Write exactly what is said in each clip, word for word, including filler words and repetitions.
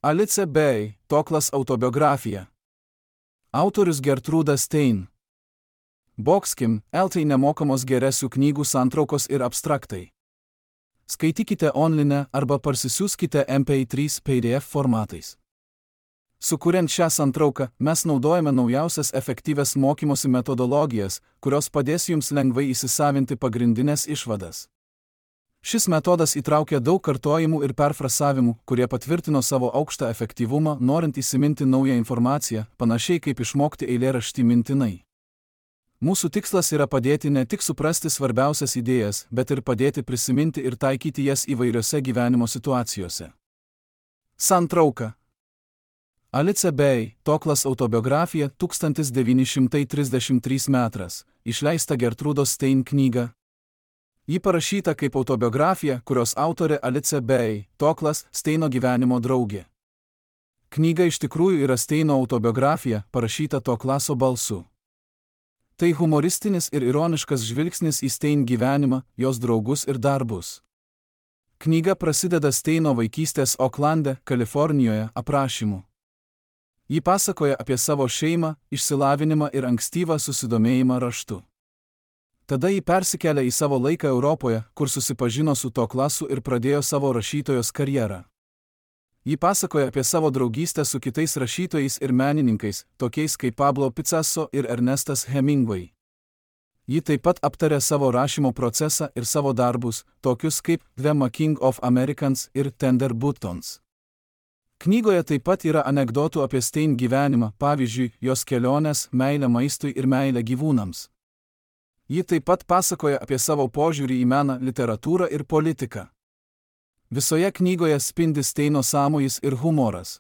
Alice Bay, Toklas autobiografija. Autorius Gertruda Stein. Boxkim, Eltai nemokamos geresių knygų santraukos ir abstraktai. Skaitykite online arba parsisiųskite M P trys P D F formatais. Sukuriant šią santrauką, mes naudojame naujausias efektyvias mokymosi metodologijas, kurios padės jums lengvai įsisavinti pagrindinės išvadas. Šis metodas įtraukia daug kartojimų ir perfrasavimų, kurie patvirtino savo aukštą efektyvumą, norint įsiminti naują informaciją, panašiai kaip išmokti eilėraštį mintinai. Mūsų tikslas yra padėti ne tik suprasti svarbiausias idėjas, bet ir padėti prisiminti ir taikyti jas įvairiose gyvenimo situacijose. Santrauka. Alice Bay, Toklas autobiografija, tūkstantis devyni šimtai trisdešimt trys metras, išleista Gertrudos Stein knyga. Ji parašyta kaip autobiografija, kurios autorė Alice Bay, Toklas, Steino gyvenimo draugė. Knyga iš tikrųjų yra Steino autobiografija, parašyta Toklaso balsu. Tai humoristinis ir ironiškas žvilgsnis į Stein gyvenimą, jos draugus ir darbus. Knyga prasideda Steino vaikystės Oklande, Kalifornijoje, aprašymu. Ji pasakoja apie savo šeimą, išsilavinimą ir ankstyvą susidomėjimą raštu. Tada ji persikelia į savo laiką Europoje, kur susipažino su Toklasu ir pradėjo savo rašytojos karjerą. Ji pasakoja apie savo draugystę su kitais rašytojais ir menininkais, tokiais kaip Pablo Picasso ir Ernestas Hemingway. Ji taip pat aptarė savo rašymo procesą ir savo darbus, tokius kaip The Making of Americans ir Tender Buttons. Knygoje taip pat yra anekdotų apie Stein gyvenimą, pavyzdžiui, jos keliones, meilę maistui ir meilę gyvūnams. Ji taip pat pasakoja apie savo požiūrį į meną, literatūrą ir politiką. Visoje knygoje spindi Steino sąmojis ir humoras.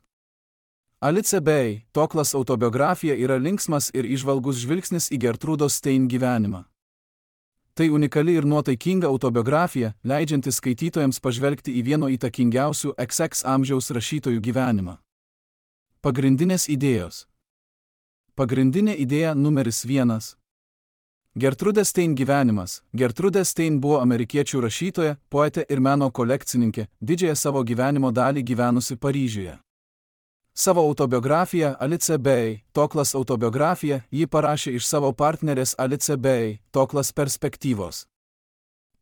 Alice Bay, Toklas autobiografija yra linksmas ir įžvalgus žvilgsnis į Gertrudos Stein gyvenimą. Tai unikali ir nuotaikinga autobiografija, leidžianti skaitytojams pažvelgti į vieno įtakingiausių X X amžiaus rašytojų gyvenimą. Pagrindinės idėjos. Pagrindinė idėja numeris vienas. Gertrude Stein gyvenimas. Gertrude Stein buvo amerikiečių rašytoja, poetė ir meno kolekcininkė, didžiąją savo gyvenimo dalį gyvenusi Paryžiuje. Savo autobiografiją Alice Bay, Toklas autobiografiją, ji parašė iš savo partnerės Alice Bay, Toklas perspektyvos.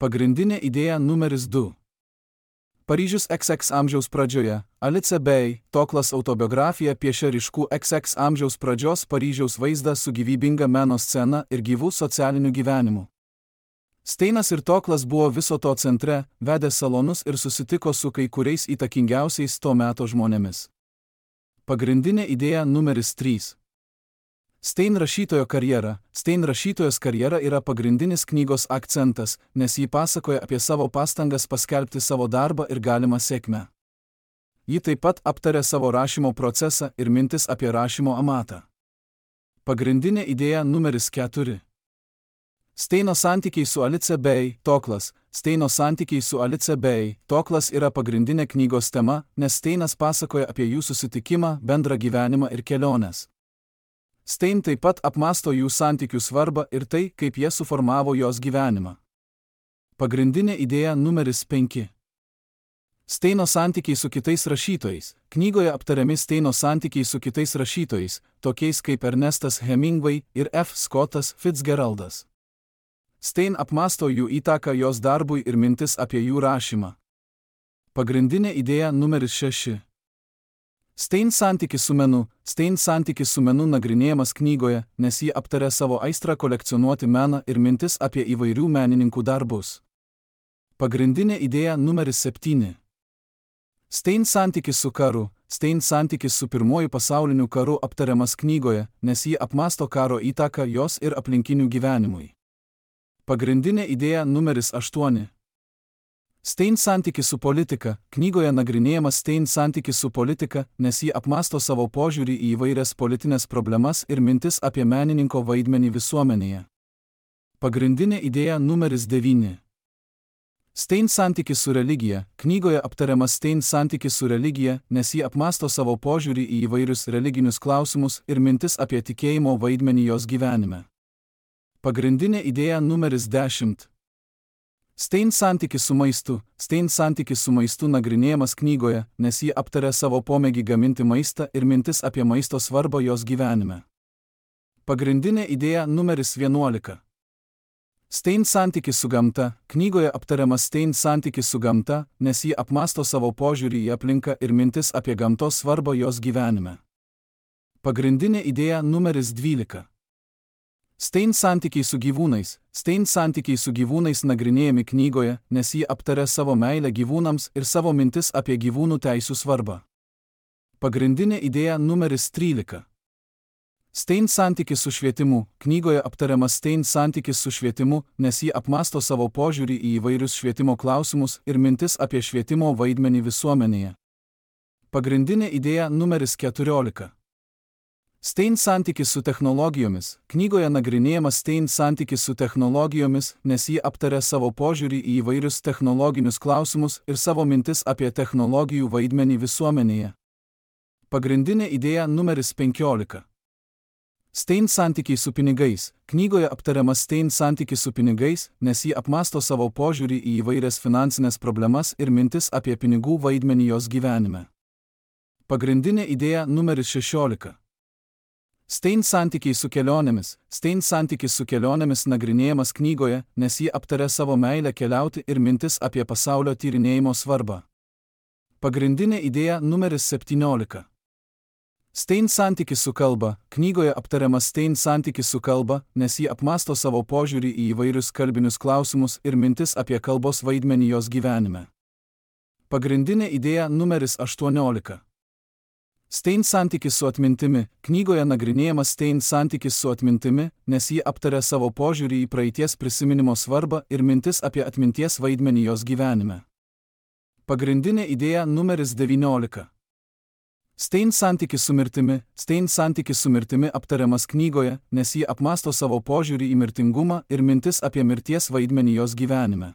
Pagrindinė idėja numeris du. Paryžius X X amžiaus pradžioje. Alice Bay, Toklas autobiografija piešia ryškų X X amžiaus pradžios Paryžiaus vaizdą su gyvybinga meno scena ir gyvų socialiniu gyvenimu. Steinas ir Toklas buvo viso to centre, vedė salonus ir susitiko su kai kuriais įtakingiausiais to meto žmonėmis. Pagrindinė idėja numeris trys. Stein rašytojo karjera. Stein rašytojos karjera yra pagrindinis knygos akcentas, nes ji pasakoja apie savo pastangas paskelbti savo darbą ir galimą sėkmę. Ji taip pat aptarė savo rašymo procesą ir mintis apie rašymo amatą. Pagrindinė idėja numeris keturi. Steino santykiai su Alice Bay, Toklas. Steino santykiai su Alice Bay, Toklas yra pagrindinė knygos tema, nes Steinas pasakoja apie jų susitikimą, bendrą gyvenimą ir keliones. Stein taip pat apmąsto jų santykių svarbą ir tai, kaip jie suformavo jos gyvenimą. Pagrindinė idėja numeris penki. Steino santykiai su kitais rašytojais. Knygoje aptariami Steino santykiai su kitais rašytojais, tokiais kaip Ernestas Hemingway ir F. Scottas Fitzgeraldas. Stein apmąsto jų įtaką jos darbui ir mintis apie jų rašymą. Pagrindinė idėja numeris šeši. Stein santykis su menu. Stein santykis su menu nagrinėjamas knygoje, nes ji aptarė savo aistrą kolekcionuoti meną ir mintis apie įvairių menininkų darbus. Pagrindinė idėja numeris septyni. Stein santykis su karu. Stein santykis su pirmuoju pasauliniu karu aptariamas knygoje, nes ji apmąsto karo įtaką jos ir aplinkinių gyvenimui. Pagrindinė idėja numeris aštuoni. Stein santykis su politika. Knygoje nagrinėjamas Stein santykis su politika, nes ji apmąsto savo požiūrį į įvairias politinės problemas ir mintis apie menininko vaidmenį visuomenėje. Pagrindinė idėja numeris devyni. Stein santykis su religija. Knygoje aptariamas Stein santykis su religija, nes ji apmąsto savo požiūrį į įvairius religinius klausimus ir mintis apie tikėjimo vaidmenį jos gyvenime. Pagrindinė idėja numeris dešimt. Stein santykis su maistu. Stein santykis su maistu nagrinėjamas knygoje, nes ji aptaria savo pomėgį gaminti maistą ir mintis apie maisto svarbą jos gyvenime. Pagrindinė idėja numeris vienuolika. Stein santykis su gamta. Knygoje aptariamas Stein santykis su gamta, nes ji apmąsto savo požiūrį į aplinką ir mintis apie gamtos svarbą jos gyvenime. Pagrindinė idėja numeris dvylika. Stein santykiai su gyvūnais. Stein santykiai su gyvūnais nagrinėjami knygoje, nes ji aptaria savo meilę gyvūnams ir savo mintis apie gyvūnų teisių svarbą. Pagrindinė idėja numeris trylika. Stein santykis su švietimu. Knygoje aptariamas Stein santykis su švietimu, nes ji apmąsto savo požiūrį į įvairius švietimo klausimus ir mintis apie švietimo vaidmenį visuomenėje. Pagrindinė idėja numeris keturiolika. Stein santykis su technologijomis. Knygoje nagrinėjamas Stein santykis su technologijomis, nes ji aptaria savo požiūrį į įvairius technologinius klausimus ir savo mintis apie technologijų vaidmenį visuomenėje. Pagrindinė idėja numeris penkiolika. Stein santykiai su pinigais. Knygoje aptariamas Stein santykis su pinigais, nes ji apmąsto savo požiūrį į įvairias finansinės problemas ir mintis apie pinigų vaidmenį jos gyvenime. Pagrindinė idėja numeris šešiolika. Stein santykiai su kelionėmis. Stein santykis su kelionėmis nagrinėjamas knygoje, nes ji aptaria savo meilę keliauti ir mintis apie pasaulio tyrinėjimo svarbą. Pagrindinė idėja numeris septyniolika. Stein santykis su kalba. Knygoje aptariamas Stein santykis su kalba, nes ji apmąsto savo požiūrį į įvairius kalbinius klausimus ir mintis apie kalbos vaidmenį jos gyvenime. Pagrindinė idėja numeris aštuoniolika. Stein santykis su atmintimi. Knygoje nagrinėjamas Stein santykis su atmintimi, nes ji aptaria savo požiūrį į praeities prisiminimo svarbą ir mintis apie atminties vaidmenį jos gyvenime. Pagrindinė idėja numeris devyniolika. Stein santykis su mirtimi. Stein santykis su mirtimi aptariamas knygoje, nes ji apmąsto savo požiūrį į mirtingumą ir mintis apie mirties vaidmenį jos gyvenime.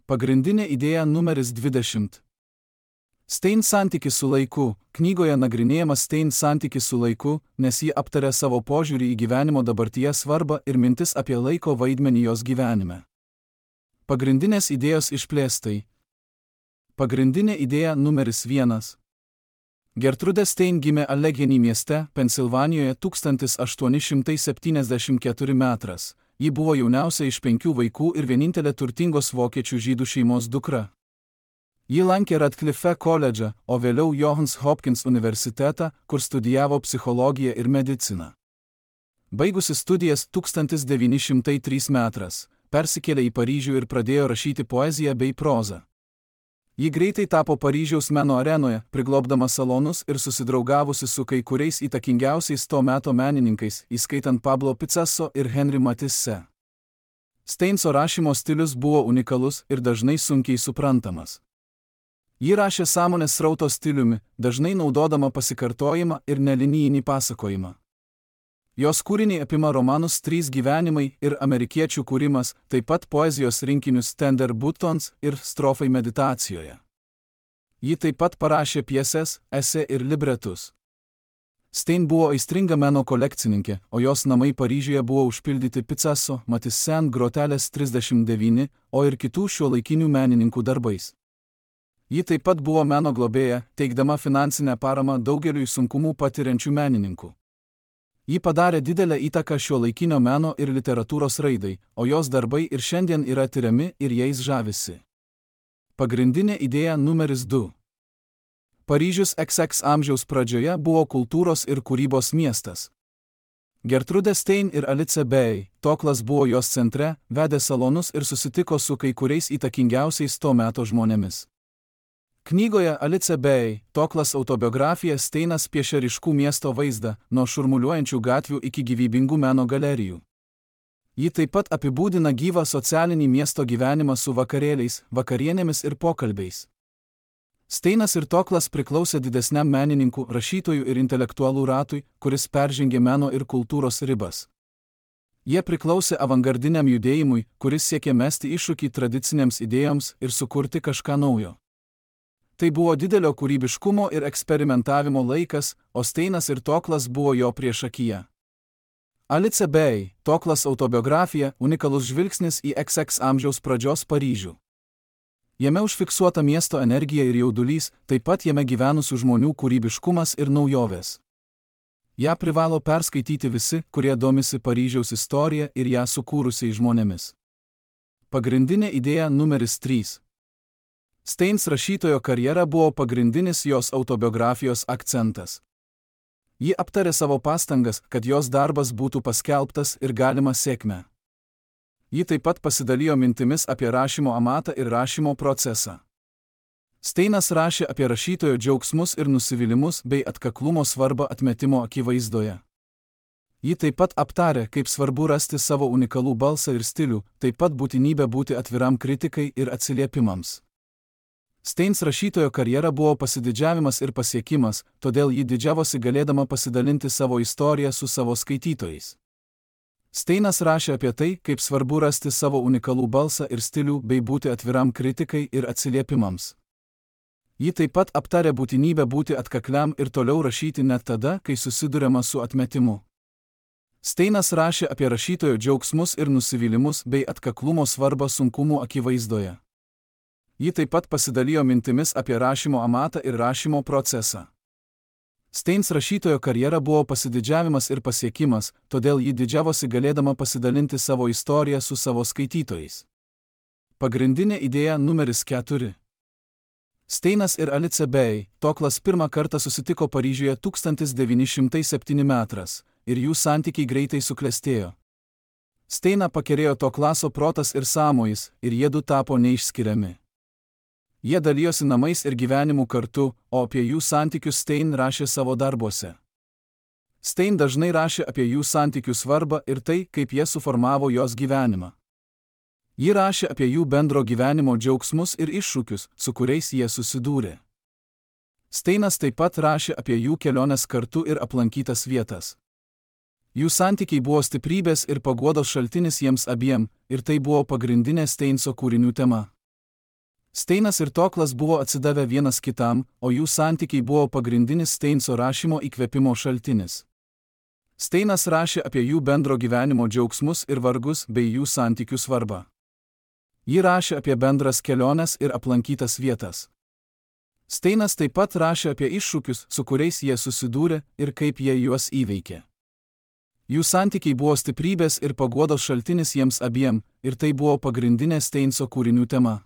Pagrindinė idėja numeris dvidešimt. Stein santykis su laiku. Knygoje nagrinėjamas Stein santykis su laiku, nes ji aptaria savo požiūrį į gyvenimo dabartyje svarbą ir mintis apie laiko vaidmenį jos gyvenime. Pagrindinės idėjos išplėstai. Pagrindinė idėja numeris vienas. Gertrudė Stein gimė Allegheny mieste, Pensilvanijoje tūkstantis aštuoni šimtai septyniasdešimt keturi metais. Ji buvo jauniausia iš penkių vaikų ir vienintelė turtingos vokiečių žydų šeimos dukra. Ji lankė Radcliffe koledžą, o vėliau Johns Hopkins universitetą, kur studijavo psichologiją ir mediciną. Baigusi studijas tūkstantis devyni šimtai trečiais metais, persikėlė į Paryžių ir pradėjo rašyti poeziją bei prozą. Ji greitai tapo Paryžiaus meno arenoje, priglobdama salonus ir susidraugavusi su kai kuriais įtakingiausiais to meto menininkais, įskaitant Pablo Picasso ir Henri Matisse. Steinso rašymo stilius buvo unikalus ir dažnai sunkiai suprantamas. Ji rašė sąmonės srauto stiliumi, dažnai naudodama pasikartojimą ir nelinijinį pasakojimą. Jos kūriniai apima romanus Trys gyvenimai ir Amerikiečių kūrimas, taip pat poezijos rinkinius Tender Buttons ir Strofai meditacijoje. Ji taip pat parašė pjeses, esė ir libretus. Stein buvo aistringa meno kolekcininkė, o jos namai Paryžiuje buvo užpildyti Picasso, Matisse grotelės trisdešimt devyni, o ir kitų šiuolaikinių menininkų darbais. Ji taip pat buvo meno globėja, teikdama finansinę paramą daugeliui sunkumų patiriančių menininkų. Ji padarė didelę įtaką šiuolaikinio meno ir literatūros raidai, o jos darbai ir šiandien yra tiriami ir jais žavisi. Pagrindinė idėja numeris du. Paryžius iks iks amžiaus pradžioje buvo kultūros ir kūrybos miestas. Gertrudė Stein ir Alice Bey, Toklas buvo jos centre, vedė salonus ir susitiko su kai kuriais įtakingiausiais to meto žmonėmis. Knygoje Alice Bey, Toklas autobiografija Steinas piešia ryškų miesto vaizdą, nuo šurmuliuojančių gatvių iki gyvybingų meno galerijų. Ji taip pat apibūdina gyvą socialinį miesto gyvenimą su vakarėliais, vakarienėmis ir pokalbiais. Steinas ir Toklas priklausė didesniam menininkų, rašytojų ir intelektualų ratui, kuris peržengė meno ir kultūros ribas. Jie priklausė avangardiniam judėjimui, kuris siekė mesti iššūkį tradicinėms idėjoms ir sukurti kažką naujo. Tai buvo didelio kūrybiškumo ir eksperimentavimo laikas, o Steinas ir Toklas buvo jo priešakyje. Alice Bey, Toklas autobiografija, unikalus žvilgsnis į iks iks amžiaus pradžios Paryžių. Jame užfiksuota miesto energija ir jaudulys, taip pat jame gyvenusių žmonių kūrybiškumas ir naujovės. Ja privalo perskaityti visi, kurie domisi Paryžiaus istorija ir ją sukūrusiai žmonėmis. Pagrindinė idėja numeris trys. Steins rašytojo karjera buvo pagrindinis jos autobiografijos akcentas. Ji aptarė savo pastangas, kad jos darbas būtų paskelbtas ir galima sėkmę. Ji taip pat pasidalijo mintimis apie rašymo amatą ir rašymo procesą. Steinas rašė apie rašytojo džiaugsmus ir nusivylimus bei atkaklumo svarbą atmetimo akivaizdoje. Ji taip pat aptarė, kaip svarbu rasti savo unikalų balsą ir stilių, taip pat būtinybę būti atviram kritikai ir atsiliepimams. Steins rašytojo karjera buvo pasididžiavimas ir pasiekimas, todėl ji didžiavosi galėdama pasidalinti savo istoriją su savo skaitytojais. Steinas rašė apie tai, kaip svarbu rasti savo unikalų balsą ir stilių bei būti atviram kritikai ir atsiliepimams. Ji taip pat aptarė būtinybę būti atkakliam ir toliau rašyti net tada, kai susiduriama su atmetimu. Steinas rašė apie rašytojo džiaugsmus ir nusivylimus bei atkaklumo svarbą sunkumų akivaizdoje. Ji taip pat pasidalijo mintimis apie rašymo amatą ir rašymo procesą. Steins rašytojo karjera buvo pasididžiavimas ir pasiekimas, todėl ji didžiavosi galėdama pasidalinti savo istoriją su savo skaitytojais. Pagrindinė idėja numeris keturi. Steinas ir Alice Bey, Toklas pirmą kartą susitiko Paryžiuje tūkstantis devyni šimtai septyni metras, ir jų santykiai greitai suklestėjo. Steiną pakerėjo Toklaso protas ir sąmojis, ir jiedu tapo neišskiriami. Jie dalijosi namais ir gyvenimu kartu, o apie jų santykius Stein rašė savo darbuose. Stein dažnai rašė apie jų santykių svarbą ir tai, kaip jie suformavo jos gyvenimą. Ji rašė apie jų bendro gyvenimo džiaugsmus ir iššūkius, su kuriais jie susidūrė. Steinas taip pat rašė apie jų keliones kartu ir aplankytas vietas. Jų santykiai buvo stiprybės ir paguodos šaltinis jiems abiem, ir tai buvo pagrindinė Steinso kūrinių tema. Steinas ir Toklas buvo atsidavę vienas kitam, o jų santykiai buvo pagrindinis Steinso rašymo įkvėpimo šaltinis. Steinas rašė apie jų bendro gyvenimo džiaugsmus ir vargus bei jų santykių svarbą. Ji rašė apie bendras keliones ir aplankytas vietas. Steinas taip pat rašė apie iššūkius, su kuriais jie susidūrė ir kaip jie juos įveikė. Jų santykiai buvo stiprybės ir paguodos šaltinis jiems abiem, ir tai buvo pagrindinė Steinso kūrinių tema.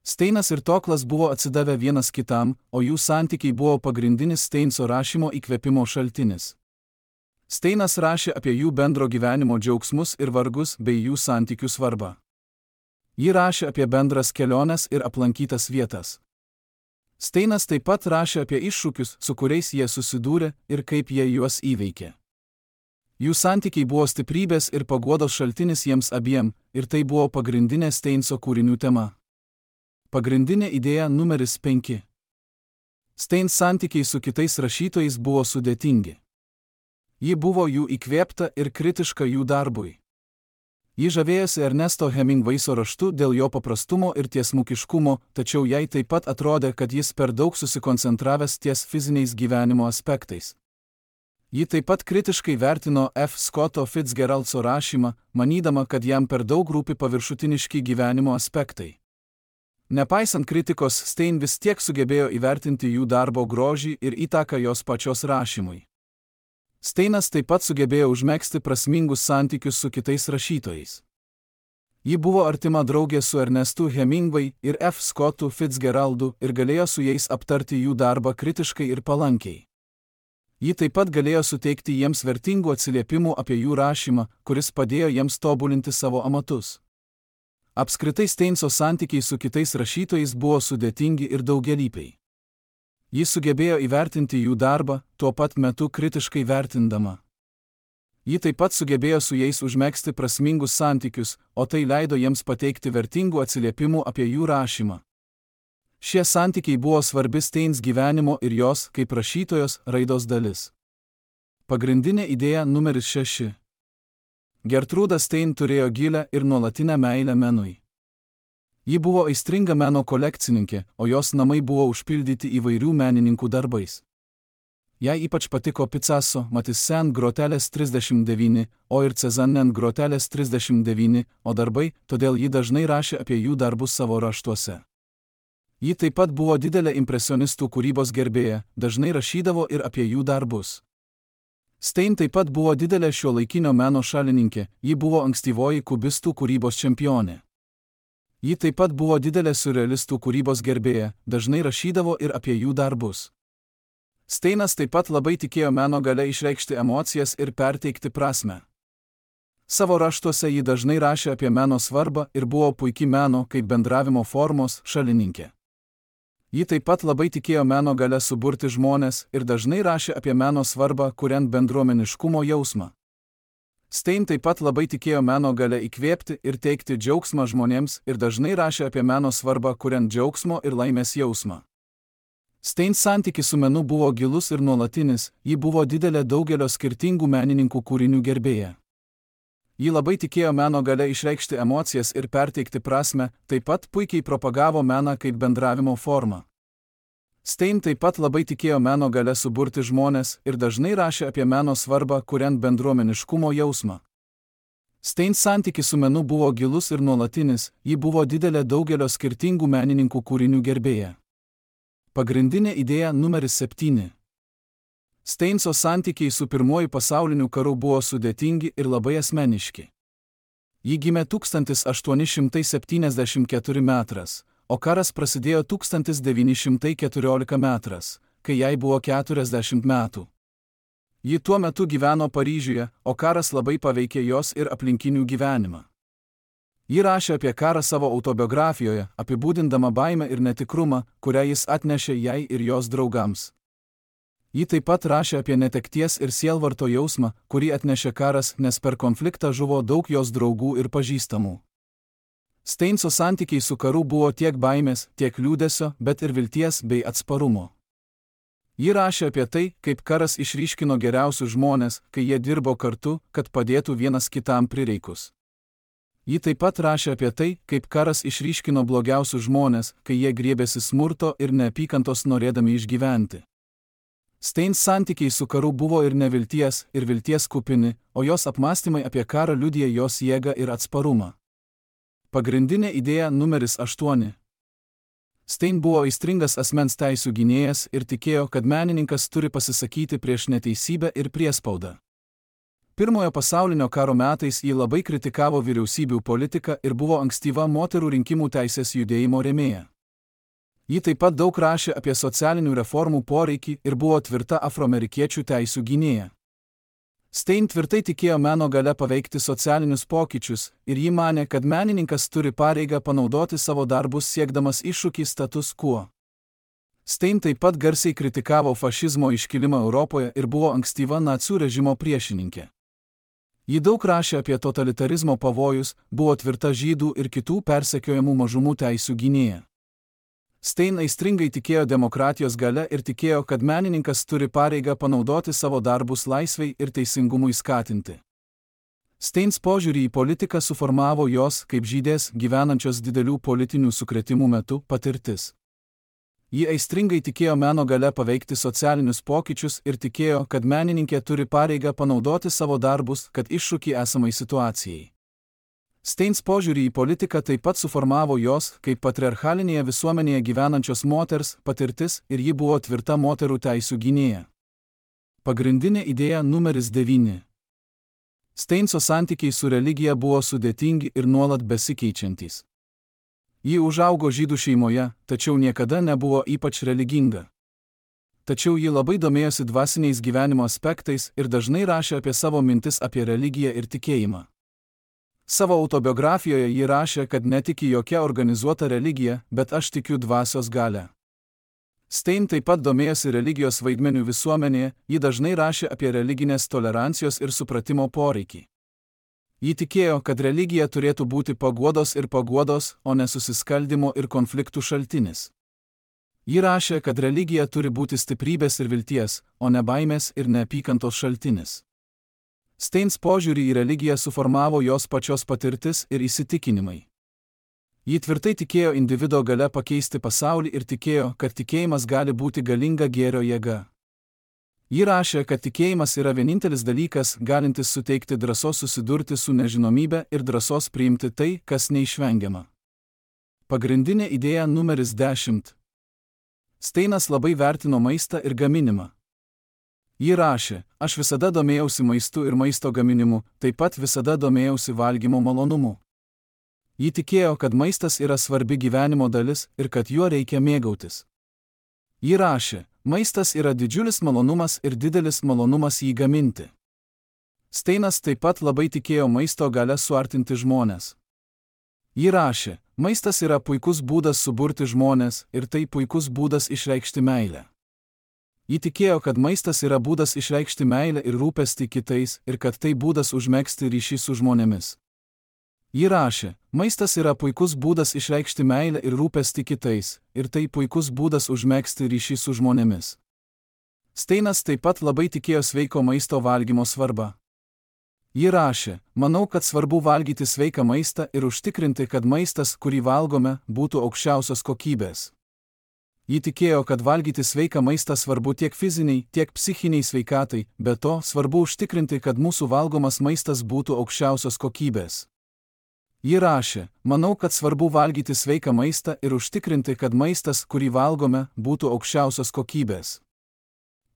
Steinas ir Toklas buvo atsidavę vienas kitam, o jų santykiai buvo pagrindinis Steinso rašymo įkvėpimo šaltinis. Steinas rašė apie jų bendro gyvenimo džiaugsmus ir vargus bei jų santykių svarbą. Ji rašė apie bendras keliones ir aplankytas vietas. Steinas taip pat rašė apie iššūkius, su kuriais jie susidūrė ir kaip jie juos įveikė. Jų santykiai buvo stiprybės ir paguodos šaltinis jiems abiem, ir tai buvo pagrindinė Steinso kūrinių tema. Pagrindinė idėja numeris penki. Steins santykiai su kitais rašytojais buvo sudėtingi. Ji buvo jų įkvėpta ir kritiška jų darbui. Ji žavėjosi Ernesto Hemingwayso raštu dėl jo paprastumo ir tiesmukiškumo, tačiau jai taip pat atrodė, kad jis per daug susikoncentravęs ties fiziniais gyvenimo aspektais. Ji taip pat kritiškai vertino F. Scotto Fitzgeraldso rašymą, manydama, kad jam per daug rūpi paviršutiniški gyvenimo aspektai. Nepaisant kritikos, Stein vis tiek sugebėjo įvertinti jų darbo grožį ir įtaką jos pačios rašymui. Steinas taip pat sugebėjo užmegzti prasmingus santykius su kitais rašytojais. Ji buvo artima draugė su Ernestu Hemingway ir F. Scottu Fitzgeraldu ir galėjo su jais aptarti jų darbą kritiškai ir palankiai. Ji taip pat galėjo suteikti jiems vertingų atsiliepimų apie jų rašymą, kuris padėjo jiems tobulinti savo amatus. Apskritai Steinso santykiai su kitais rašytojais buvo sudėtingi ir daugialypiai. Ji sugebėjo įvertinti jų darbą, tuo pat metu kritiškai vertindama. Ji taip pat sugebėjo su jais užmegzti prasmingus santykius, o tai leido jiems pateikti vertingų atsiliepimų apie jų rašymą. Šie santykiai buvo svarbi Steins gyvenimo ir jos, kaip rašytojos, raidos dalis. Pagrindinė idėja numeris šeši. Gertrūda Stein turėjo gilią ir nuolatinę meilę menui. Ji buvo aistringa meno kolekcininkė, o jos namai buvo užpildyti įvairių menininkų darbais. Jai ypač patiko Picasso, Matisse grotelės trisdešimt devyni, o ir Cézanne grotelės trisdešimt devyni, o darbai, todėl ji dažnai rašė apie jų darbus savo raštuose. Ji taip pat buvo didelė impresionistų kūrybos gerbėja, dažnai rašydavo ir apie jų darbus. Stein taip pat buvo didelė šiuolaikinio meno šalininkė, ji buvo ankstyvoji kubistų kūrybos čempionė. Ji taip pat buvo didelė surrealistų kūrybos gerbėja, dažnai rašydavo ir apie jų darbus. Steinas taip pat labai tikėjo meno galia išreikšti emocijas ir perteikti prasmę. Savo raštuose ji dažnai rašė apie meno svarbą ir buvo puiki meno kaip bendravimo formos šalininkė. Ji taip pat labai tikėjo meno galia suburti žmones ir dažnai rašė apie meno svarbą, kuriant bendruomeniškumo jausmą. Stein taip pat labai tikėjo meno galia įkvėpti ir teikti džiaugsmą žmonėms ir dažnai rašė apie meno svarbą, kuriant džiaugsmo ir laimės jausmą. Stein santykis su menu buvo gilus ir nuolatinis, ji buvo didelė daugelio skirtingų menininkų kūrinių gerbėja. Ji labai tikėjo meno galia išreikšti emocijas ir perteikti prasmę, taip pat puikiai propagavo meną kaip bendravimo formą. Stein taip pat labai tikėjo meno galia suburti žmones ir dažnai rašė apie meno svarbą, kuriant bendruomeniškumo jausmą. Stein santykis su menu buvo gilus ir nuolatinis, ji buvo didelė daugelio skirtingų menininkų kūrinių gerbėja. Pagrindinė idėja numeris septyni. Steinso santykiai su pirmuoju pasauliniu karu buvo sudėtingi ir labai asmeniški. Ji gimė tūkstantis aštuoni šimtai septyniasdešimt keturi metras, o karas prasidėjo tūkstantis devyni šimtai keturiolikta metras, kai jai buvo keturiasdešimt metų. Ji tuo metu gyveno Paryžiuje, o karas labai paveikė jos ir aplinkinių gyvenimą. Ji rašė apie karą savo autobiografijoje, apibūdindama baimę ir netikrumą, kurią jis atnešė jai ir jos draugams. Ji taip pat rašė apie netekties ir sielvarto jausmą, kurį atnešė karas, nes per konfliktą žuvo daug jos draugų ir pažįstamų. Steinso santykiai su karu buvo tiek baimės, tiek liūdesio, bet ir vilties bei atsparumo. Ji rašė apie tai, kaip karas išryškino geriausius žmones, kai jie dirbo kartu, kad padėtų vienas kitam prireikus. Ji taip pat rašė apie tai, kaip karas išryškino blogiausius žmones, kai jie griebėsi smurto ir neapykantos norėdami išgyventi. Stein santykiai su karu buvo ir nevilties, ir vilties kupini, o jos apmąstymai apie karą liudija jos jėgą ir atsparumą. Pagrindinė idėja numeris aštuoni. Stein buvo aistringas asmens teisių gynėjas ir tikėjo, kad menininkas turi pasisakyti prieš neteisybę ir priespaudą. Pirmojo pasaulinio karo metais ji labai kritikavo vyriausybių politiką ir buvo ankstyva moterų rinkimų teisės judėjimo rėmėja. Ji taip pat daug rašė apie socialinių reformų poreikį ir buvo tvirta afroamerikiečių teisių gynėja. Stein tvirtai tikėjo meno galia paveikti socialinius pokyčius ir ji manė, kad menininkas turi pareigą panaudoti savo darbus siekdamas iššūkį status quo. Stein taip pat garsiai kritikavo fašizmo iškilimą Europoje ir buvo ankstyva nacių režimo priešininkė. Ji daug rašė apie totalitarizmo pavojus, buvo tvirta žydų ir kitų persekiojamų mažumų teisių gynėja. Stein aistringai tikėjo demokratijos galia ir tikėjo, kad menininkas turi pareigą panaudoti savo darbus laisvei ir teisingumui skatinti. Steins požiūrį į politiką suformavo jos, kaip žydės, gyvenančios didelių politinių sukrėtimų metu, patirtis. Ji aistringai tikėjo meno galia paveikti socialinius pokyčius ir tikėjo, kad menininkė turi pareigą panaudoti savo darbus, kad iššūkį esamai situacijai. Steins požiūrį į politiką taip pat suformavo jos, kaip patriarchalinėje visuomenėje gyvenančios moters, patirtis ir ji buvo tvirta moterų teisių gynėja. Pagrindinė idėja numeris devyni. Steinso santykiai su religija buvo sudėtingi ir nuolat besikeičiantys. Ji užaugo žydų šeimoje, tačiau niekada nebuvo ypač religinga. Tačiau ji labai domėjosi dvasiniais gyvenimo aspektais ir dažnai rašė apie savo mintis apie religiją ir tikėjimą. Savo autobiografijoje ji rašė, kad netiki jokia organizuota religija, bet aš tikiu dvasios galią. Stein taip pat domėjosi religijos vaidmeniu visuomenėje, ji dažnai rašė apie religinės tolerancijos ir supratimo poreikį. Ji tikėjo, kad religija turėtų būti paguodos ir paguodos, o ne susiskaldimo ir konfliktų šaltinis. Ji rašė, kad religija turi būti stiprybės ir vilties, o ne baimės ir neapykantos šaltinis. Steins požiūrį į religiją suformavo jos pačios patirtis ir įsitikinimai. Ji tvirtai tikėjo individo galia pakeisti pasaulį ir tikėjo, kad tikėjimas gali būti galinga gėrio jėga. Ji rašė, kad tikėjimas yra vienintelis dalykas, galintis suteikti drąsos susidurti su nežinomybe ir drąsos priimti tai, kas neišvengiama. Pagrindinė idėja numeris dešimt. Steinas labai vertino maistą ir gaminimą. Ji rašė, aš visada domėjausi maistu ir maisto gaminimu, taip pat visada domėjausi valgymo malonumu. Ji tikėjo, kad maistas yra svarbi gyvenimo dalis ir kad juo reikia mėgautis. Ji rašė, maistas yra didžiulis malonumas ir didelis malonumas jį gaminti. Steinas taip pat labai tikėjo maisto galia suartinti žmones. Ji rašė, maistas yra puikus būdas suburti žmones ir tai puikus būdas išreikšti meilę. Ji tikėjo, kad maistas yra būdas išreikšti meilę ir rūpestį kitais ir kad tai būdas užmegzti ryšį su žmonėmis. Ji rašė, maistas yra puikus būdas išreikšti meilę ir rūpestį kitais ir tai puikus būdas užmegzti ryšį su žmonėmis. Steinas taip pat labai tikėjo sveiko maisto valgymo svarbą. Ji rašė, manau, kad svarbu valgyti sveiką maistą ir užtikrinti, kad maistas, kurį valgome, būtų aukščiausios kokybės. Ji tikėjo, kad valgyti sveiką maistą svarbu tiek fiziniai, tiek psichiniai sveikatai, be to svarbu užtikrinti, kad mūsų valgomas maistas būtų aukščiausios kokybės. Ji rašė, manau, kad svarbu valgyti sveiką maistą ir užtikrinti, kad maistas, kurį valgome, būtų aukščiausios kokybės.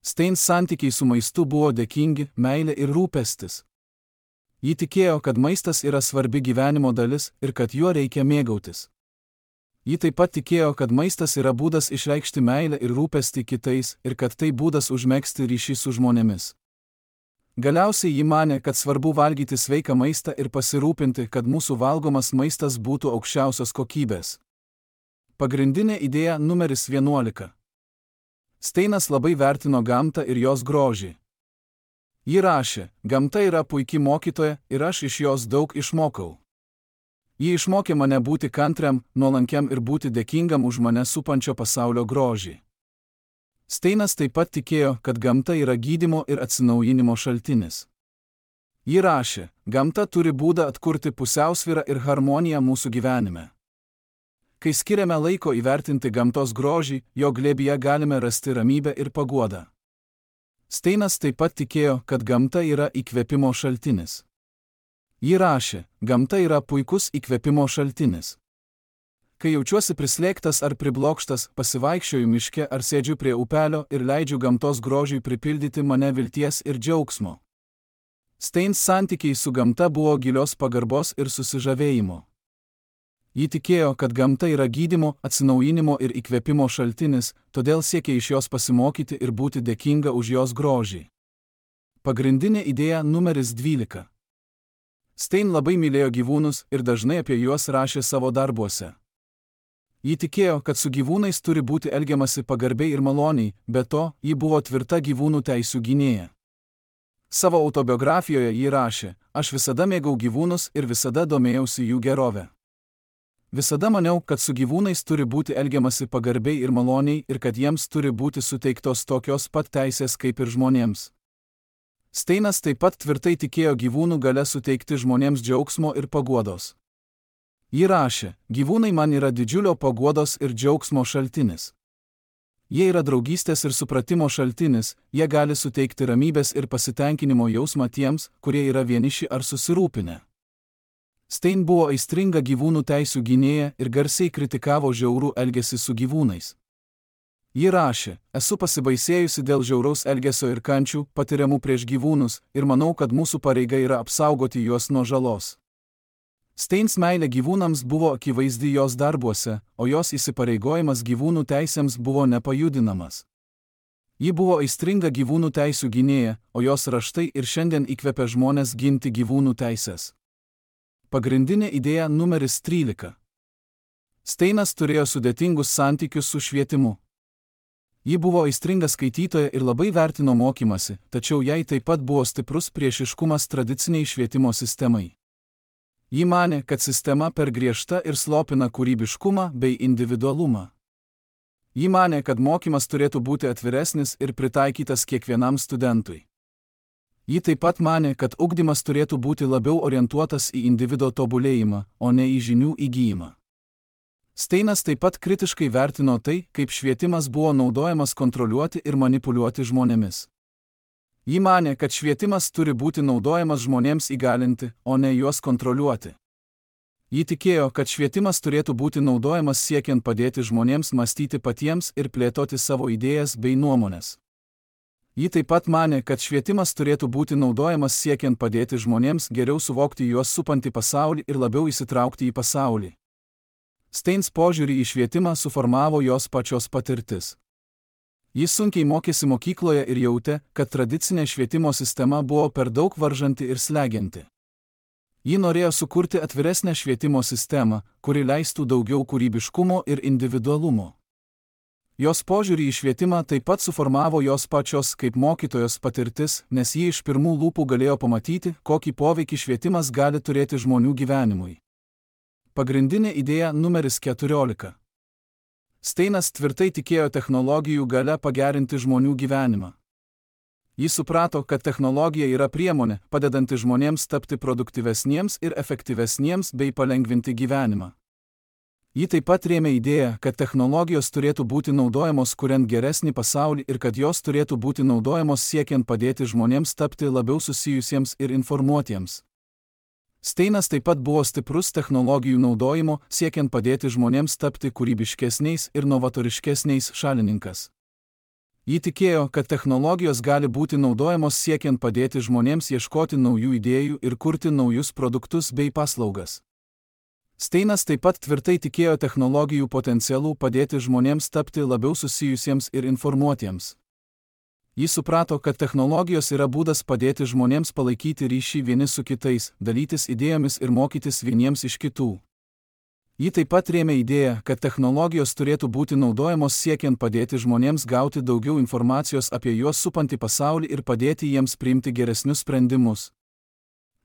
Steins santykiai su maistu buvo dėkingi, meilė ir rūpestis. Ji tikėjo, kad maistas yra svarbi gyvenimo dalis ir kad juo reikia mėgautis. Ji taip pat tikėjo, kad maistas yra būdas išreikšti meilę ir rūpestį kitais ir kad tai būdas užmegzti ryšį su žmonėmis. Galiausiai ji manė, kad svarbu valgyti sveiką maistą ir pasirūpinti, kad mūsų valgomas maistas būtų aukščiausios kokybės. Pagrindinė idėja numeris vienuolika. Steinas labai vertino gamtą ir jos grožį. Ji rašė, gamta yra puiki mokytoja ir aš iš jos daug išmokau. Ji išmokė mane būti kantriam, nuolankiam ir būti dėkingam už mane supančio pasaulio grožį. Steinas taip pat tikėjo, kad gamta yra gydymo ir atsinaujinimo šaltinis. Ji rašė, gamta turi būdą atkurti pusiausvyrą ir harmoniją mūsų gyvenime. Kai skiriame laiko įvertinti gamtos grožį, jo glėbyje galime rasti ramybę ir paguodą. Steinas taip pat tikėjo, kad gamta yra įkvėpimo šaltinis. Ji rašė, gamta yra puikus įkvėpimo šaltinis. Kai jaučiuosi prislėgtas ar priblokštas, pasivaikščioju miške ar sėdžiu prie upelio ir leidžiu gamtos grožiui pripildyti mane vilties ir džiaugsmo. Steins santykiai su gamta buvo gilios pagarbos ir susižavėjimo. Ji tikėjo, kad gamta yra gydymo, atsinaujinimo ir įkvėpimo šaltinis, todėl siekė iš jos pasimokyti ir būti dėkinga už jos grožį. Pagrindinė idėja numeris dvylika. Stein labai mylėjo gyvūnus ir dažnai apie juos rašė savo darbuose. Ji tikėjo, kad su gyvūnais turi būti elgiamasi pagarbiai ir maloniai, be to, ji buvo tvirta gyvūnų teisių gynėja. Savo autobiografijoje ji rašė, aš visada mėgau gyvūnus ir visada domėjausi jų gerovę. Visada maniau, kad su gyvūnais turi būti elgiamasi pagarbiai ir maloniai ir kad jiems turi būti suteiktos tokios pat teisės kaip ir žmonėms. Steinas taip pat tvirtai tikėjo gyvūnų galia suteikti žmonėms džiaugsmo ir paguodos. Ji rašė, gyvūnai man yra didžiulio paguodos ir džiaugsmo šaltinis. Jie yra draugystės ir supratimo šaltinis, jie gali suteikti ramybės ir pasitenkinimo jausmą tiems, kurie yra vieniši ar susirūpinę. Stein buvo aistringa gyvūnų teisių gynėja ir garsiai kritikavo žiaurų elgesį su gyvūnais. Ji rašė, esu pasibaisėjusi dėl žiauraus elgesio ir kančių, patiriamų prieš gyvūnus, ir manau, kad mūsų pareiga yra apsaugoti juos nuo žalos. Steins meilė gyvūnams buvo akivaizdi jos darbuose, o jos įsipareigojimas gyvūnų teisėms buvo nepajudinamas. Ji buvo aistringa gyvūnų teisių gynėja, o jos raštai ir šiandien įkvepia žmones ginti gyvūnų teisės. Pagrindinė idėja numeris trylika. Steinas turėjo sudėtingus santykius su švietimu. Ji buvo aistringa skaitytoja ir labai vertino mokymasi, tačiau jai taip pat buvo stiprus priešiškumas tradiciniai švietimo sistemai. Ji manė, kad sistema per griežta ir slopina kūrybiškumą bei individualumą. Ji manė, kad mokymas turėtų būti atviresnis ir pritaikytas kiekvienam studentui. Ji taip pat manė, kad ugdymas turėtų būti labiau orientuotas į individo tobulėjimą, o ne į žinių įgyjimą. Steinas taip pat kritiškai vertino tai, kaip švietimas buvo naudojamas kontroliuoti ir manipuliuoti žmonėmis. Ji manė, kad švietimas turi būti naudojamas žmonėms įgalinti, o ne juos kontroliuoti. Ji tikėjo, kad švietimas turėtų būti naudojamas siekiant padėti žmonėms mąstyti patiems ir plėtoti savo idėjas bei nuomones. Ji taip pat manė, kad švietimas turėtų būti naudojamas siekiant padėti žmonėms geriau suvokti juos supantį pasaulį ir labiau įsitraukti į pasaulį. Steins požiūrį į švietimą suformavo jos pačios patirtis. Jis sunkiai mokėsi mokykloje ir jautė, kad tradicinė švietimo sistema buvo per daug varžanti ir slegianti. Ji norėjo sukurti atviresnę švietimo sistemą, kuri leistų daugiau kūrybiškumo ir individualumo. Jos požiūrį į švietimą taip pat suformavo jos pačios kaip mokytojos patirtis, nes ji iš pirmų lūpų galėjo pamatyti, kokį poveikį švietimas gali turėti žmonių gyvenimui. Pagrindinė idėja numeris keturiolika. Steinas tvirtai tikėjo technologijų galia pagerinti žmonių gyvenimą. Jis suprato, kad technologija yra priemonė, padedanti žmonėms tapti produktyvesniems ir efektyvesniems bei palengvinti gyvenimą. Ji taip pat rėmė idėją, kad technologijos turėtų būti naudojamos kuriant geresnį pasaulį ir kad jos turėtų būti naudojamos siekiant padėti žmonėms tapti labiau susijusiems ir informuotiems. Steinas taip pat buvo stiprus technologijų naudojimo, siekiant padėti žmonėms tapti kūrybiškesniais ir novatoriškesniais šalininkas. Ji tikėjo, kad technologijos gali būti naudojamos siekiant padėti žmonėms ieškoti naujų idėjų ir kurti naujus produktus bei paslaugas. Steinas taip pat tvirtai tikėjo technologijų potencialų padėti žmonėms tapti labiau susijusiems ir informuotiems. Jis suprato, kad technologijos yra būdas padėti žmonėms palaikyti ryšį vieni su kitais, dalytis idėjomis ir mokytis vieniems iš kitų. Ji taip pat rėmė idėją, kad technologijos turėtų būti naudojamos siekiant padėti žmonėms gauti daugiau informacijos apie juos supantį pasaulį ir padėti jiems priimti geresnius sprendimus.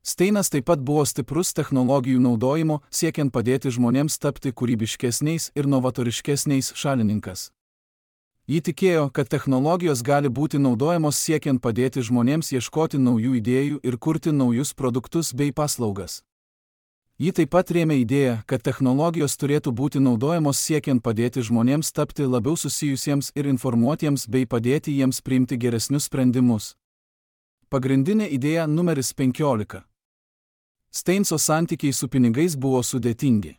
Steinas taip pat buvo stiprus technologijų naudojimo, siekiant padėti žmonėms tapti kūrybiškesniais ir novatoriškesniais šalininkas. Ji tikėjo, kad technologijos gali būti naudojamos siekiant padėti žmonėms ieškoti naujų idėjų ir kurti naujus produktus bei paslaugas. Ji taip pat rėmė idėją, kad technologijos turėtų būti naudojamos siekiant padėti žmonėms tapti labiau susijusiems ir informuotiems bei padėti jiems priimti geresnius sprendimus. Pagrindinė idėja numeris penkiolika. Steinso santykiai su pinigais buvo sudėtingi.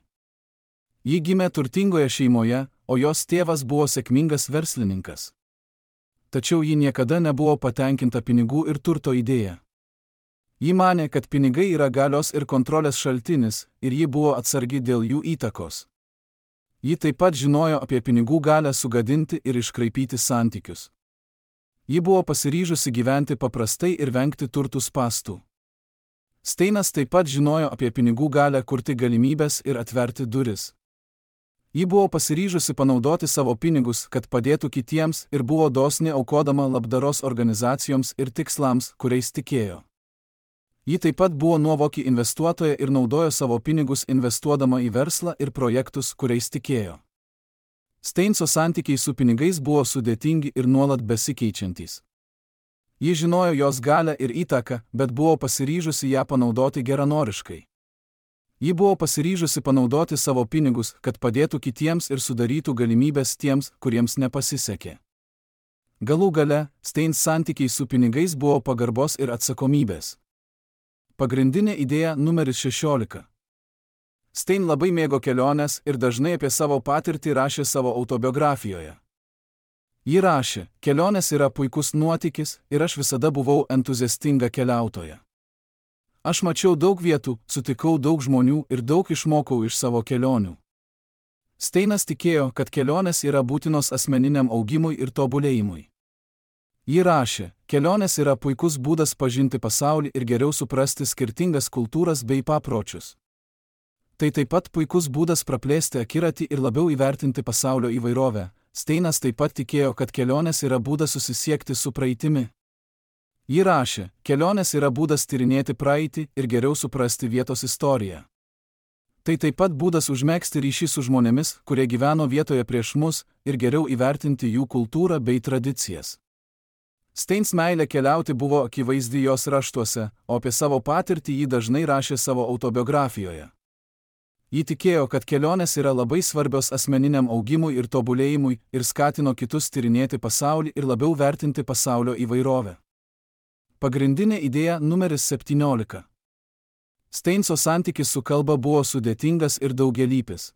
Ji gimė turtingoje šeimoje, o jos tėvas buvo sėkmingas verslininkas. Tačiau ji niekada nebuvo patenkinta pinigų ir turto idėja. Ji manė, kad pinigai yra galios ir kontrolės šaltinis, ir ji buvo atsargi dėl jų įtakos. Ji taip pat žinojo apie pinigų galią sugadinti ir iškraipyti santykius. Ji buvo pasiryžusi gyventi paprastai ir vengti turtų spąstų. Steinas taip pat žinojo apie pinigų galią kurti galimybės ir atverti duris. Ji buvo pasiryžusi panaudoti savo pinigus, kad padėtų kitiems ir buvo dosni aukodama labdaros organizacijoms ir tikslams, kuriais tikėjo. Ji taip pat buvo nuovoki investuotoja ir naudojo savo pinigus investuodama į verslą ir projektus, kuriais tikėjo. Steinso santykiai su pinigais buvo sudėtingi ir nuolat besikeičiantys. Ji žinojo jos galią ir įtaką, bet buvo pasiryžusi ją panaudoti geranoriškai. Ji buvo pasiryžusi panaudoti savo pinigus, kad padėtų kitiems ir sudarytų galimybės tiems, kuriems nepasisekė. Galų gale, Steins santykiai su pinigais buvo pagarbos ir atsakomybės. Pagrindinė idėja numeris šešiolika. Stein labai mėgo keliones ir dažnai apie savo patirtį rašė savo autobiografijoje. Ji rašė, kelionės yra puikus nuotykis ir aš visada buvau entuziastinga keliautoja. Aš mačiau daug vietų, sutikau daug žmonių ir daug išmokau iš savo kelionių. Steinas tikėjo, kad kelionės yra būtinos asmeniniam augimui ir tobulėjimui. Ji rašė, kelionės yra puikus būdas pažinti pasaulį ir geriau suprasti skirtingas kultūras bei papročius. Tai taip pat puikus būdas praplėsti akiratį ir labiau įvertinti pasaulio įvairovę. Steinas taip pat tikėjo, kad kelionės yra būdas susisiekti su praeitimi. Ji rašė, kelionės yra būdas tyrinėti praeitį ir geriau suprasti vietos istoriją. Tai taip pat būdas užmegzti ryšį su žmonėmis, kurie gyveno vietoje prieš mus, ir geriau įvertinti jų kultūrą bei tradicijas. Steins meilė keliauti buvo akivaizdi jos raštuose, o apie savo patirtį ji dažnai rašė savo autobiografijoje. Ji tikėjo, kad kelionės yra labai svarbios asmeniniam augimui ir tobulėjimui ir skatino kitus tyrinėti pasaulį ir labiau vertinti pasaulio įvairovę. Pagrindinė idėja numeris septyniolika. Steinso santykis su kalba buvo sudėtingas ir daugialypis.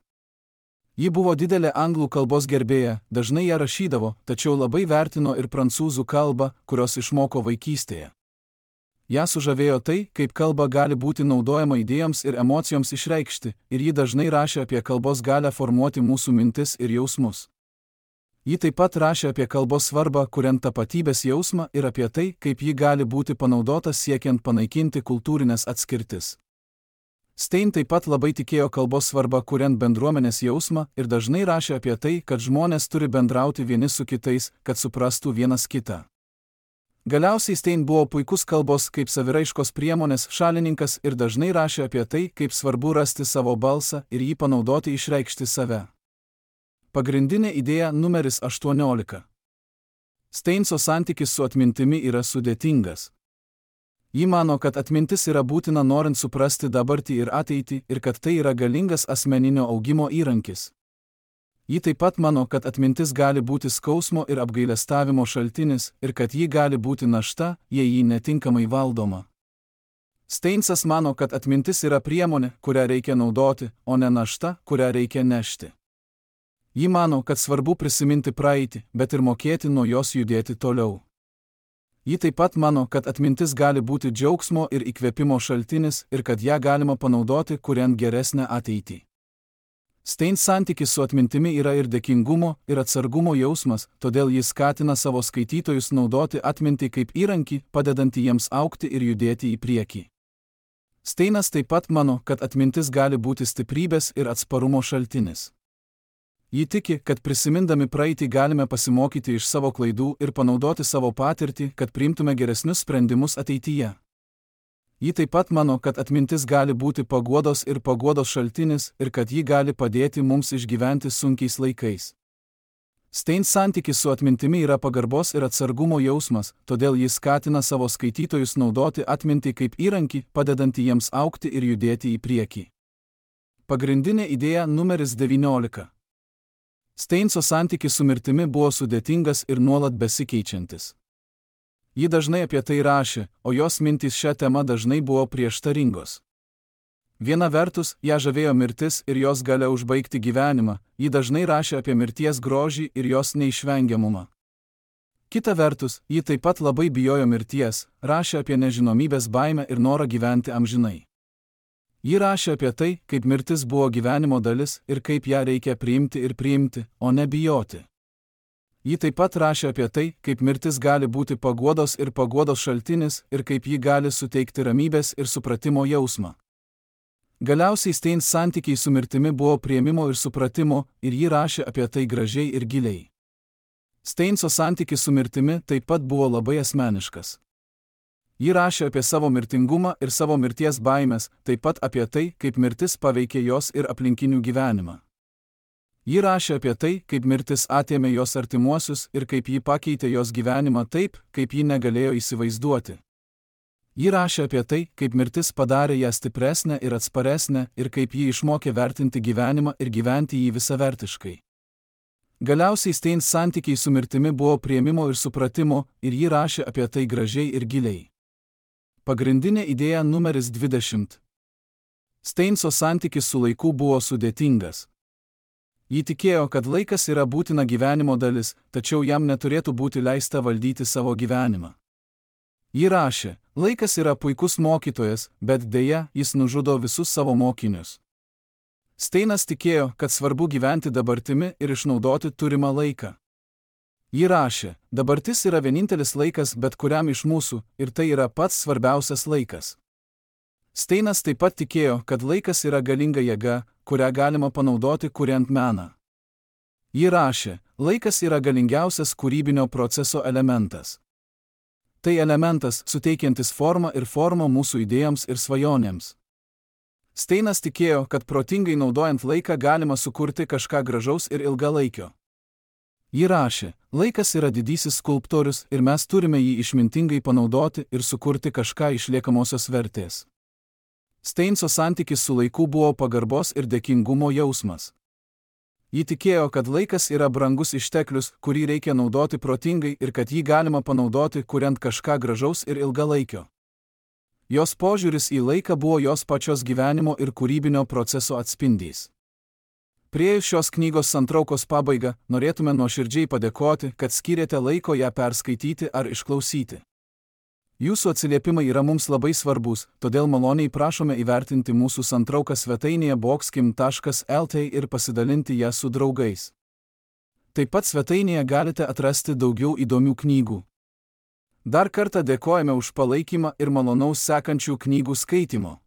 Ji buvo didelė anglų kalbos gerbėja, dažnai ją rašydavo, tačiau labai vertino ir prancūzų kalbą, kurios išmoko vaikystėje. Ją sužavėjo tai, kaip kalba gali būti naudojama idėjoms ir emocijoms išreikšti, ir ji dažnai rašė apie kalbos galią formuoti mūsų mintis ir jausmus. Ji taip pat rašė apie kalbos svarbą, kuriant tapatybės jausmą, ir apie tai, kaip ji gali būti panaudota siekiant panaikinti kultūrinės atskirtis. Stein taip pat labai tikėjo kalbos svarbą, kuriant bendruomenės jausmą, ir dažnai rašė apie tai, kad žmonės turi bendrauti vieni su kitais, kad suprastų vienas kitą. Galiausiai Stein buvo puikus kalbos kaip saviraiškos priemonės šalininkas ir dažnai rašė apie tai, kaip svarbu rasti savo balsą ir jį panaudoti išreikšti save. Pagrindinė idėja numeris aštuoniolika. Steinso santykis su atmintimi yra sudėtingas. Ji mano, kad atmintis yra būtina norint suprasti dabartį ir ateitį ir kad tai yra galingas asmeninio augimo įrankis. Ji taip pat mano, kad atmintis gali būti skausmo ir apgailestavimo šaltinis ir kad ji gali būti našta, jei ji netinkamai valdoma. Steinsas mano, kad atmintis yra priemonė, kurią reikia naudoti, o ne našta, kurią reikia nešti. Ji mano, kad svarbu prisiminti praeitį, bet ir mokėti nuo jos judėti toliau. Ji taip pat mano, kad atmintis gali būti džiaugsmo ir įkvėpimo šaltinis ir kad ją galima panaudoti, kuriant geresnę ateitį. Stein santykis su atmintimi yra ir dėkingumo, ir atsargumo jausmas, todėl jis skatina savo skaitytojus naudoti atmintį kaip įrankį, padedantį jiems augti ir judėti į priekį. Steinas taip pat mano, kad atmintis gali būti stiprybės ir atsparumo šaltinis. Ji tiki, kad prisimindami praeitį galime pasimokyti iš savo klaidų ir panaudoti savo patirtį, kad priimtume geresnius sprendimus ateityje. Ji taip pat mano, kad atmintis gali būti paguodos ir paguodos šaltinis ir kad ji gali padėti mums išgyventi sunkiais laikais. Stein santykis su atmintimi yra pagarbos ir atsargumo jausmas, todėl jis skatina savo skaitytojus naudoti atmintį kaip įrankį, padedantį jiems augti ir judėti į priekį. Pagrindinė idėja numeris devyniolika. Steinso santykis su mirtimi buvo sudėtingas ir nuolat besikeičiantis. Ji dažnai apie tai rašė, o jos mintys šią temą dažnai buvo prieštaringos. Viena vertus, ją žavėjo mirtis ir jos galia užbaigti gyvenimą, ji dažnai rašė apie mirties grožį ir jos neišvengiamumą. Kita vertus, ji taip pat labai bijojo mirties, rašė apie nežinomybės baimę ir norą gyventi amžinai. Ji rašė apie tai, kaip mirtis buvo gyvenimo dalis ir kaip ją reikia priimti ir priimti, o ne bijoti. Ji taip pat rašė apie tai, kaip mirtis gali būti paguodos ir paguodos šaltinis ir kaip ji gali suteikti ramybės ir supratimo jausmą. Galiausiai Stein santykiai su mirtimi buvo priėmimo ir supratimo ir ji rašė apie tai gražiai ir giliai. Steinso santykis su mirtimi taip pat buvo labai asmeniškas. Ji rašė apie savo mirtingumą ir savo mirties baimės, taip pat apie tai, kaip mirtis paveikė jos ir aplinkinių gyvenimą. Ji rašė apie tai, kaip mirtis atėmė jos artimuosius ir kaip ji pakeitė jos gyvenimą taip, kaip ji negalėjo įsivaizduoti. Ji rašė apie tai, kaip mirtis padarė ją stipresnę ir atsparesnę ir kaip ji išmokė vertinti gyvenimą ir gyventi jį visavertiškai. Galiausiai Stein santykiai su mirtimi buvo priėmimo ir supratimo ir ji rašė apie tai gražiai ir giliai. Pagrindinė idėja numeris dvidešimt. Steinso santykis su laiku buvo sudėtingas. Ji tikėjo, kad laikas yra būtina gyvenimo dalis, tačiau jam neturėtų būti leista valdyti savo gyvenimą. Ji rašė, laikas yra puikus mokytojas, bet deja, jis nužudo visus savo mokinius. Steinas tikėjo, kad svarbu gyventi dabartimi ir išnaudoti turimą laiką. Ji rašė, dabartis yra vienintelis laikas bet kuriam iš mūsų ir tai yra pats svarbiausias laikas. Steinas taip pat tikėjo, kad laikas yra galinga jėga, kurią galima panaudoti kuriant meną. Ji rašė, laikas yra galingiausias kūrybinio proceso elementas. Tai elementas, suteikiantis formą ir formą mūsų idėjoms ir svajonėms. Steinas tikėjo, kad protingai naudojant laiką galima sukurti kažką gražaus ir ilgalaikio. Ji rašė, laikas yra didysis skulptorius ir mes turime jį išmintingai panaudoti ir sukurti kažką išliekamosios vertės. Steinso santykis su laiku buvo pagarbos ir dėkingumo jausmas. Ji tikėjo, kad laikas yra brangus išteklius, kurį reikia naudoti protingai ir kad jį galima panaudoti, kuriant kažką gražaus ir ilgalaikio. Jos požiūris į laiką buvo jos pačios gyvenimo ir kūrybinio proceso atspindys. Priėjus šios knygos santraukos pabaigą, norėtume nuoširdžiai padėkoti, kad skyrėte laiko ją perskaityti ar išklausyti. Jūsų atsiliepimai yra mums labai svarbus, todėl maloniai prašome įvertinti mūsų santrauką svetainėje boxkim taškas lt ir pasidalinti ją su draugais. Taip pat svetainėje galite atrasti daugiau įdomių knygų. Dar kartą dėkojame už palaikymą ir malonaus sekančių knygų skaitimo.